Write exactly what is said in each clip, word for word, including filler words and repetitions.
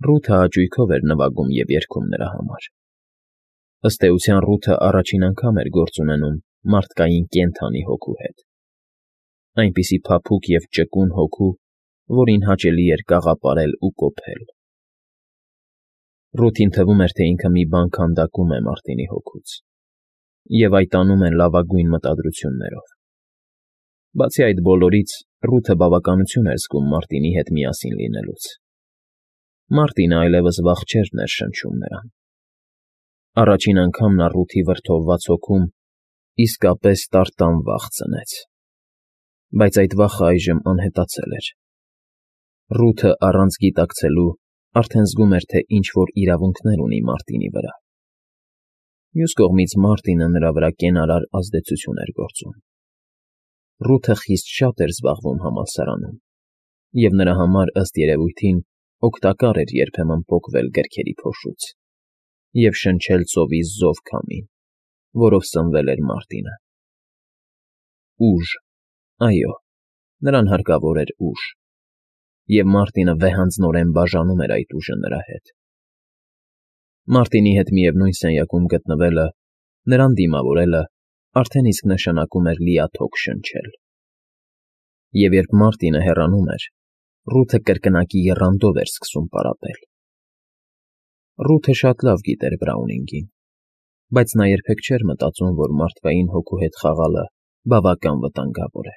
Ռութը հաճույքով էր նվագում և երգում նրա համար. ըստ էության Ռութը առաջին անգամ էր գործ ունենում մարդկային կենդանի հոգու հետ, այնպիսի փափուկ և ճկուն հոգու, որին հաճելի էր կաղապարել ու կոփել. Ռութին թվում էր, թե ինքը մի բան քանդակում է Մարտինի հոգուց և այդ անում է լավագույն մտադրություններով. բացի այդ բոլորից, Ռութը բավականություն էր զգում Մարտինի հետ միասին լինելուց. Մարտինը այլևս վախ չէր ներշնչում նրան. առաջին անգամ նա Ռութի վրդովված հոգում իսկապես տարտան վախ ծնեց, բայց այդ վախն այժմ անհետացել էր. Ռութը առանց գիտակցելու արդեն զգում էր, թե ինչ֊որ իրավունքներ ունի Մարտինի վրա. մյուս կողմից Մարտինը նրա վրա կենարար ազդեցություն էր գործում. Ռութը խիստ շատ էր զբաղվում համալսարանում, և նրա համար, ըստ երևույթին, օգտակար էր երբեմն պոկվել գրքերի փոշուց և շնչել ծովի զով քամին, որով սնվել էր Մարտինը. ուժ, այո, նրան հարկավոր էր ուժ, և Մարտինը վեհանձնորեն բաժանում էր այդ ուժը նրա հետ. Մարտինի հետ միևնույն սենյակում գտնվելը, նրան դիմավորելը արդեն իսկ նշանակում էր լիաթոք շնչել, և երբ Մարտինը հեռանում էր, Ռութը կրկնակի եռանդով էր սկսում պարապել. Ռութը շատ լավ գիտեր Բրաունինգին, բայց նա երբեք չէր մտածում, որ մարդկային հոգու հետ խաղալը բավական վտանգավոր է.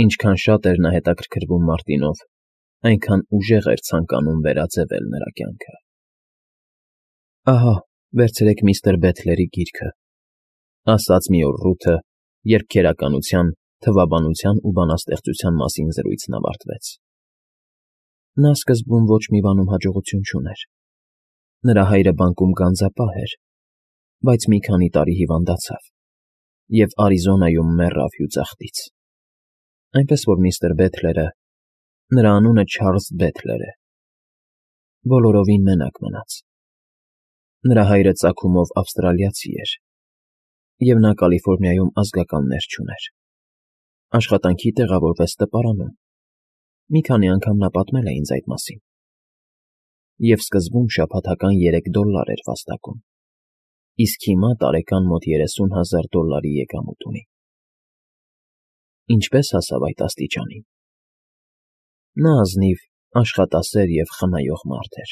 ինչքան շատ էր նա հետաքրքրվում Մարտինով, այնքան ուժեղ էր ցանկանում վերաձևել նրա կյանքը։ Ահա, վերցրեք միստր Բեթլերի գիրքը, ասաց մի օր Ռութը, երբ քերականության, թվաբանության ու բանաստեղծության մասին զրույցն ավարտվեց. նա սկզբում ոչ մի բանում հաջողություն չուներ. նրա հայրը բանկում գանձապահ էր, բայց մի քանի տարի հիվանդացավ և Արիզոնայում մեռավ հյուծախտից, այնպես որ միստր Բեթլերը, նրա անունը Չարլզ Բեթլեր է, բոլորովին մենակ մնաց. նրա հայրը ծագումով ավստրալիացի էր, և նա Կալիֆոռնիայում ազգականներ չուներ, աշխատանքի տեղավորվեց տպարանում, մի քանի անգամ նա պատմել է ինձ այդ մասին, և սկզբում շաբաթական երեք դոլլար էր վաստակում, իսկ հիմա տարեկան մոտ երեսուն հազար դոլլարի եկամուտ ունի։ Ինչպե՞ս հասավ այդ աստիճանին։ Նա ազնիվ, աշխատասեր և խնայող մարդ էր.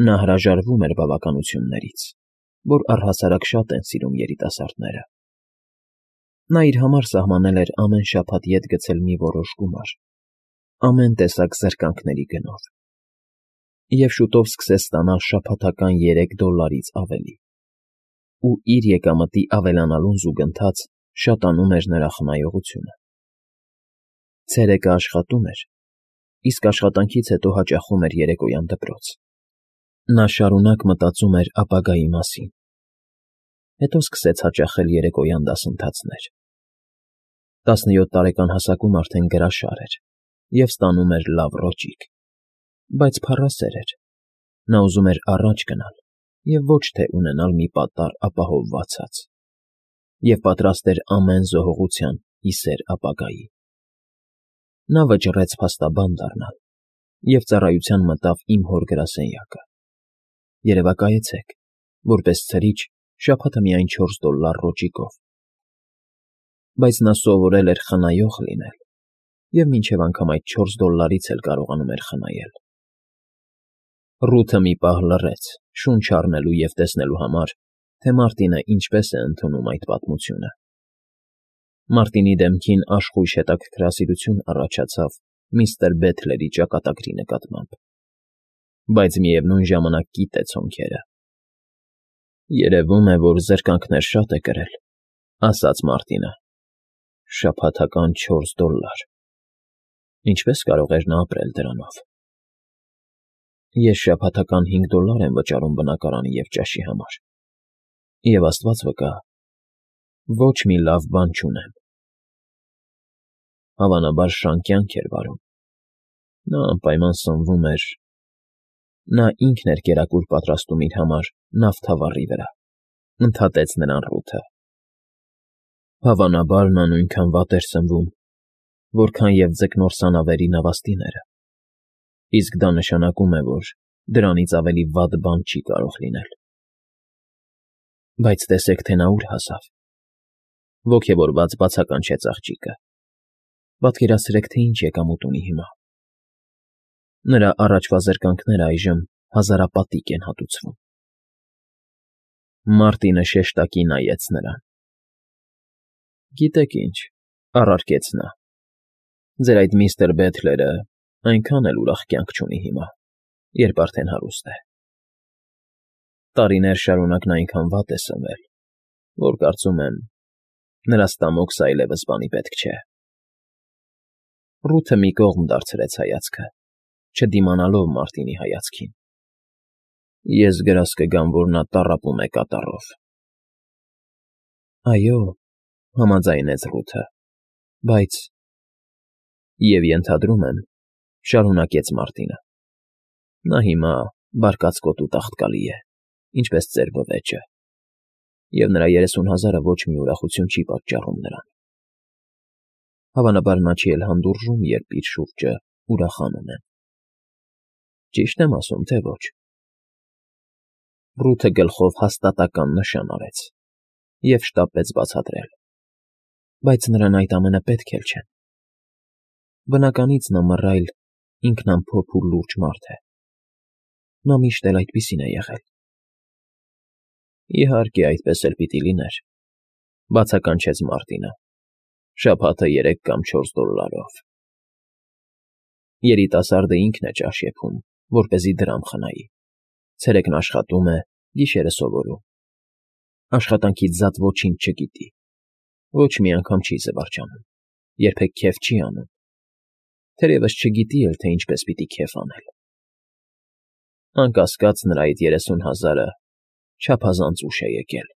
նա հրաժարվում էր բավականություններից, որ առհասարակ շատ են սիրում երիտասարդները։ Նա իր համար սահմանել էր ամեն շաբաթ ետ գցել մի որոշ գումար, ամեն տեսակ զրկանքների գնով, և շուտով սկսեց ստանալ շաբաթական երեք դոլլարից ավելի, ու իր եկամտի ավելանալուն զուգընթաց շատանում էր նրա խնայողությունը։ Ցերեկը աշխատում էր, իսկ աշխատանքից հետո հաճախում էր երեկոյան դպրոց։ Նա շարունակ մտածում էր ապագայի մասին, հետո սկսեց հաճախել երեկոյան դասընթացներ։ տասնյոթ տարեկան հասակում արդեն գրաշար էր և ստանում էր լավ ռոճիկ, բայց փառասեր էր, նա ուզում էր առաջ գնալ և ոչ թե ունենալ մի պատառ ապահովված հաց, և պատրաստ էր ամեն զոհողության ի սեր ապագայի։ Նա վճռեց փաստաբան դառնալ և ծառայության մտավ իմ հոր գրասենյակը. երևակայեցեք, որպես ցրիչ շաբաթը միայն չորս դոլլար ռոճիկով։ Բայց նա սովորել էր խնայող լինել և մինչև անգամ այդ չորս դոլլարից էլ կարողանում էր խնայել։ Ռութը մի պահ լռեց, շունչ առնելու և տեսնելու համար, թե Մարտինը ինչպես է ընդունում այդ պատմությունը։ Մարտինի դեմքին աշխույժ հետաքրքրասիրություն առաջացավ միստր Բեթլերի ճակատագրի նկատմամբ, բայց միևնույն ժամանակ կիտեց հոնքերը։ Երևում է, որ զրկանքներ շատ է կրել, ասաց Մարտինը. շաբաթական չորս դոլլար… Ինչպե՞ս կարող էր նա ապրել դրանով։ Ես շաբաթական հինգ դոլլար եմ վճարում բնակարանի և ճաշի համար, և Աստված վկա, ոչ մի լավ բան չունեմ։ Հավանաբար շան կյանք էր վարում, նա անպայման սնվում էր… Նա ինքն էր կերակուր պատրաստում իր համար նավթավառի վրա, ընդհատեց նրան Ռութը։ Հավանաբար նա նույնքան վատ էր սնվում, որքան և ձկնորսանավերի նավաստիները, իսկ դա նշանակում է, որ դրանից ավելի վատ բան չի կարող լինել։ Բայց տեսեք, թե նա ուր հասավ։ Ոգևորված բացականչեց աղջիկը։ Պատկերացրեք, թե ինչ եկամուտ ունի հիմա։ Նրա առաջվա զրկանքները այժմ հազարապատիկ են հատուցվում։ Մարտինը շեշտակի նայեց նրան։ Գիտեք ինչ, առարկեց նա, ձեր այդ միստր Բեթլերը այնքան էլ ուրախ կյանք չունի հիմա, երբ արդեն հարուստ է։ Տարիներ շարունակ նա այնքան վատ է սնվել, որ կարծում եմ, նրա ստամոքսը այլևս բանի պետք չէ։ Ռութը մի կողմ դարձրեց հայացքը, չդիմանալով Մարտինի հայացքին։ Ես գրազ կգամ, որ նա տառապում է կատաղով։ Այո, համաձայնեց Ռութը, բայց… Եվ ենթադրում եմ, շարունակեց Մարտինը, նա հիմա բարկացկոտ ու տաղտկալի է, ինչպես ծեր բվեճը, և նրա երեսուն հազարը ոչ մի ուրախություն չի պատճառում նրան։ Հավանաբար նա չի էլ հանդուրժում, երբ իր շուրջը ուրախանում են։ Ճիշտ եմ ասում, թե ոչ։ Ռութը գլխով հաստատական նշան արեց և շտապեց բացատրել. Բայց նրան այդ ամենը պետք էլ չեն։ Բնականից նա մռայլ, ինքնամփոփ ու լուրջ մարդ է։ Նա միշտ էլ այդպիսին է եղել։ Իհարկե, այդպես էլ պիտի լիներ, բացականչեց Մարտինը, շաբաթը երեք կամ չորս դոլարով։ Երիտասարդը ինքն է ճաշ եփում, որպեսզի դրամ խնայի, ցերեկն աշխատում է, գիշերը սովորում։ Աշխատանքից զատ ոչինչ չգիտի, ոչ մի անգամ չի զվարճանում, երբեք քեֆ չի անում, թերևս չգիտի էլ, թե ինչպես պիտի քեֆ անել։ Անկասկած, նրա այդ երեսուն հազարը չափազանց ուշ է եկել։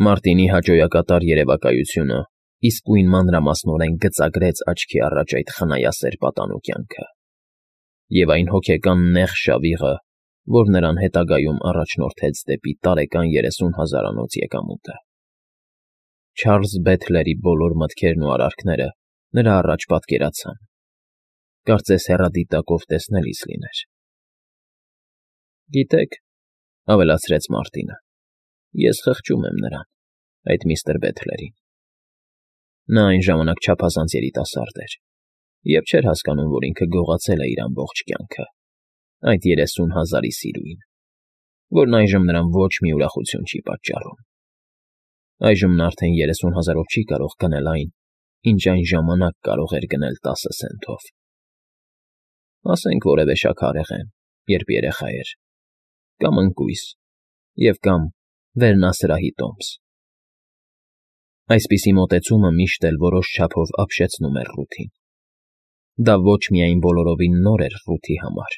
Մարտինի հաճոյակատար երևակայությունը իսկույն մանրամասնորեն գծագրեց աչքի առաջ այդ խնայասեր պատանու կյանքը և այն հոգեկան նեղ շավիղը, որ նրան հետագայում առաջնորդեց դեպի տարեկան երեսուն հազարանոց եկամուտը։ Չարլզ Բեթլերի բոլոր մտքերն ու արարքները նրա առաջ պատկերացան, կարծես հեռադիտակով տեսնելիս լիներ։ Գիտեք, ավելացրեց Մարտինը, ես խղճում եմ նրան, այդ միստր Բեթլերին։ Նա այն ժամանակ չափազանց երիտասարդ էր և չէր հասկանում, որ ինքը գողացել է իր ամբողջ կյանքը, այդ երեսուն հազարի սիրուին, որն այժմ նրան ոչ մի ուրախություն չի պատճառում։ Այժմ նա արդեն երեսուն հազարով չի կարող գնել այն, ինչ այն ժամանակ կարող էր գնել տասը սենթով։ Ասենք որևէ շաքարեղեն, երբ երեխա էր, կամ ընկույզ, և կամ վերնասրահի տոմս։ Այսպիսի մոտեցումը միշտ էլ որոշ չափով ապշեցնում էր Ռութին։ Դա ոչ միայն բոլորովին նոր էր Ռութի համար,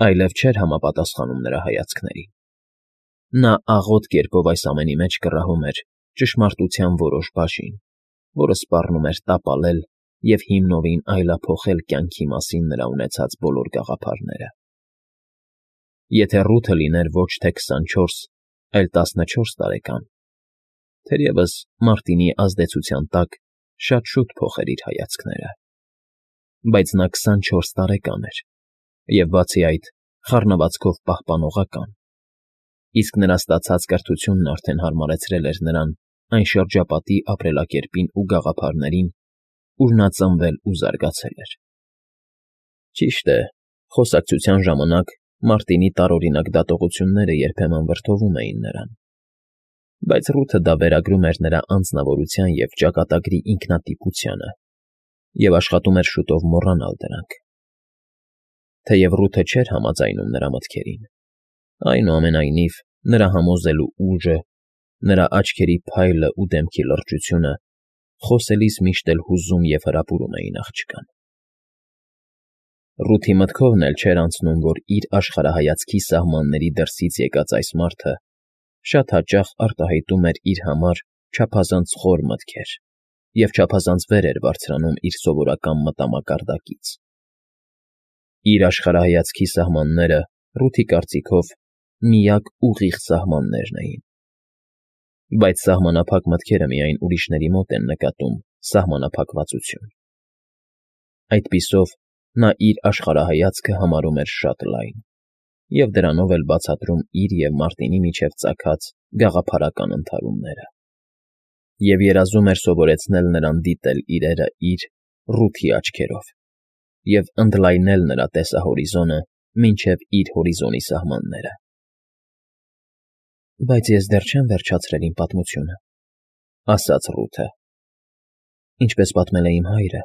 այլև չէր համապատասխանում նրա հայացքներին։ Նա աղոտ կերպով այս ամենի մեջ կռահում էր ճշմարտության որոշ բաժին, որը սպառնում էր տապալել և հիմնովին այլափոխել կյանքի մասին նրա ունեցած բոլոր գաղափարները։ Եթե Ռութը լիներ ոչ թե քսանչորս, այլ տասնչորս տարեկան, թերևս Մարտինի ազդեցության տակ շատ շուտ փոխեր իր հայացքները։ Բայց նա քսանչորս տարեկան էր և, բացի այդ, խառնվածքով պահպանողական, իսկ նրա ստացած կրթությունն արդեն հարմարեցրել էր նրան այն շրջապատի ապրելակերպին ու գաղափարներին, ուր նա ծնվել ու զարգացել էր։ Ճիշտ է, խոսակցության ժամանակ Մարտինի տարօրինակ դատողությունները երբեմն վրդովում էին նրան, բայց Ռութը դա վերագրում էր նրա անձնավորության և ճակատագրի ինքնատիպությանը և աշխատում էր շուտով մոռանալ դրանք։ Թեև Ռութը չէր համաձայնում նրա մտքերին, այնուամենայնիվ նրա համոզելու ուժը, նրա աչքերի փայլը ու դեմքի լրջությունը խոսելիս միշտ էլ հուզում և հրապուրում էին աղջկան։ Ռութի մտքովն էլ չէր անցնում, որ իր աշխարհայացքի սահմանների դրսից եկած այս մարդը շատ հաճախ արտահայտում էր իր համար չափազանց խոր մտքեր և չափազանց վեր էր բարձրանում իր սովորական մտամակարդակից։ Իր աշխարհայացքի սահմանները, Ռութի կարծիքով, միակ ուղիղ սահմաններն էին։ Բայց սահմանափակ մտքերը միայն ուրիշների մոտ են նկատում սահմանափակվածություն։ Այդպիսով, Նա իր աշխարհայացքը համարում էր շատ լայն և դրանով էլ բացատրում իր և Մարտինի միջև ծագած գաղափարական ընդհարումները, և երազում էր սովորեցնել նրան դիտել իրերը իր՝ Ռութի աչքերով և ընդլայնել նրա տեսահորիզոնը մինչև իր հորիզոնի սահմանները։ ֊ Բայց ես դեռ չեմ վերջացրել իմ պատմությունը,֊ ասաց Ռութը։ «Ինչպես պատմել է իմ հայրը,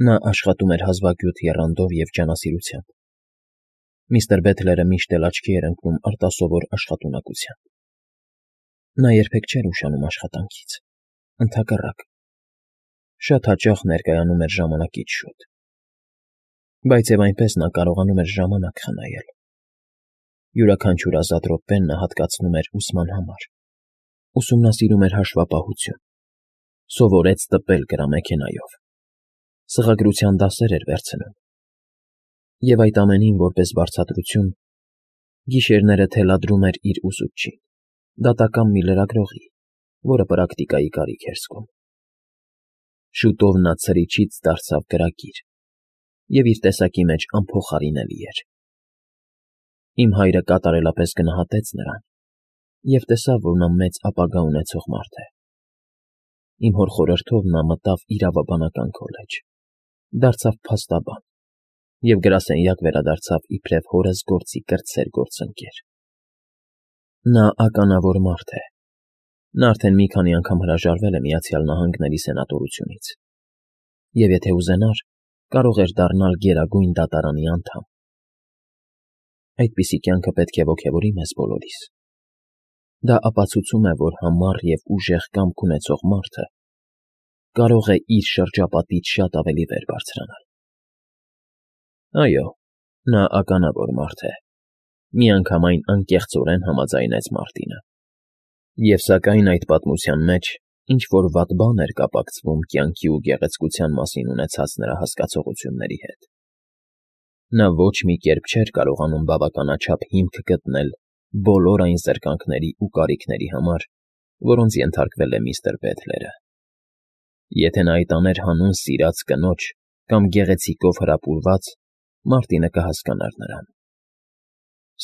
նա աշխատում էր հազվագյուտ եռանդով և ջանասիրությամբ։ Միստր Բեթլերը միշտ էլ աչքի էր ընկնում արտասովոր աշխատունակությամբ։ Նա երբեք չէր ուշանում աշխատանքից, ընդհակառակ, շատ հաճախ ներկայանում էր ժամանակից շուտ։ Բայց և այնպես նա կարողանում էր ժամանակ խնայել։ Յուրաքանչյուր ազատ րոպեն նա հատկացնում էր ուսման համար, ուսումնասիրում էր հաշվապահություն, սովորեց տպել գրամեքենայով, սղագրության դասեր էր վերցնում, և այդ ամենին որպես վարձատրություն գիշերները թելադրում էր իր ուսուցչին, դատական մի լրագրողի, որը պրակտիկայի կարիք էր զգում։ Շուտով նա ցրիչից դարձավ գրագիր և իր տեսակի մեջ անփոխարինելի էր։ Իմ հայրը կատարելապես գնահատեց նրան և տեսավ, որ նա մեծ ապագա ունեցող մարդ է։ Իմ հոր խորհրդով նա մտավ Իրավաբանական քոլեջ, դարձավ փաստաբան և գրասենյակ վերադարձավ իբրև հորս գործի կրտսեր գործընկեր։ Նա ականավոր մարդ է։ Նա արդեն մի քանի անգամ հրաժարվել է Միացյալ Նահանգների սենատորությունից և, եթե ուզենար, կարող էր դառնալ Գերագույն Դատարանի անդամ։ Այդպիսի կյանքը պետք է ոգևորի մեզ բոլորիս։ Դա ապացուցում է, որ համառ և ուժեղ կամք ունեցող մարդը կարող է իր շրջապատից շատ ավելի վեր բարձրանալ։ ֊ Այո, նա ականավոր մարդ է,֊ միանգամայն անկեղծորեն համաձայնեց Մարտինը։ Եվ սակայն այդ պատմության մեջ ինչ֊որ վատ բան էր կապակցվում կյանքի ու գեղեցկության մասին ունեցած նրա հասկացողությունների հետ։ Նա ոչ մի կերպ չէր կարողանում բավականաչափ հիմք գտնել բոլոր այն զրկանքների ու կարիքների համար, որոնց ենթարկվել է միստր Բեթլերը։ Եթե նա այդ աներ հանուն սիրած կնոջ կամ գեղեցիկով հրապուրված, Մարտինը կհասկանար նրան։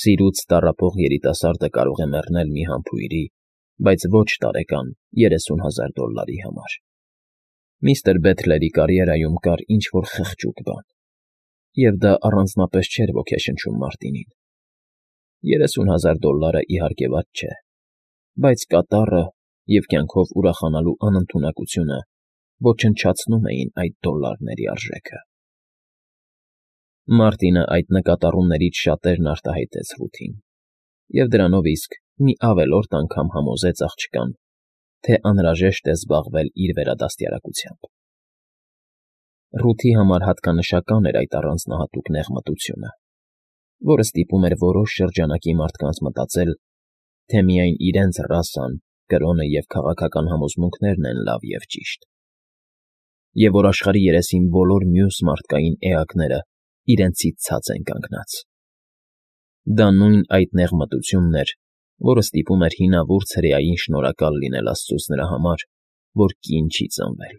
Սիրուց տառապող երիտասարդը կարող է մեռնել մի համբույրի, բայց ոչ տարեկան երեսուն հազար դոլլարի համար։ Միստր Բեթլերի կարիերայում կար ինչ֊որ խղճուկ բան, և դա առանձնապես չէր ոգեշնչում Մարտինին։ Երեսուն հազար դոլլարը, իհարկե, վատ չէ, բայց կատառը և կյանքով ուրախանալու անընդունակությունը ոչնչացնում էին այդ դոլլարների արժեքը։ Մարտինը այդ նկատառումներից շատերն արտահայտեց Ռութին, և դրանով իսկ մի ավելորդ անգամ համոզեց աղջկան, թե անհրաժեշտ է զբաղվել իր վերադաստիարակությամբ։ Ռութի համար հատկանշական էր այդ առանձնահատուկ նեղմտությունը, որը ստիպում էր որոշ շրջանակի մարդկանց մտածել, թե միայն իրենց ռասան, կրոնը և քաղաքական համոզմունքներն են լավ և ճիշտ, և որ աշխարհի երեսին բոլոր մյուս մարդկային էակները իրենցից ցած են կանգնած։ Դա նույն այդ նեղմտությունն էր, որը ստիպում էր հինավուրց հրեային շնորհակալ լինել աստծուց նրա համար, որ կին չի ծնվել,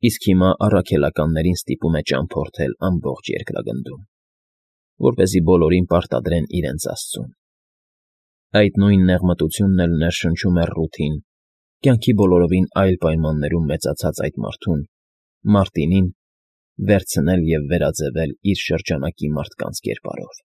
իսկ հիմա առաքելականներին ստիպում է ճամփորդել ամբողջ երկրագնդում, որպեսզի բոլորին պարտադրեն իրենց Աստծուն։ Այդ նույն նեղմտությունն էլ ներշնչում էր Ռութին, կյանքի բոլորովին այլ պայմաններում մեծացած այդ մարդուն՝ Մարտինին, վերցնել և վերաձևել իր շրջանակի մարդկանց կերպարով։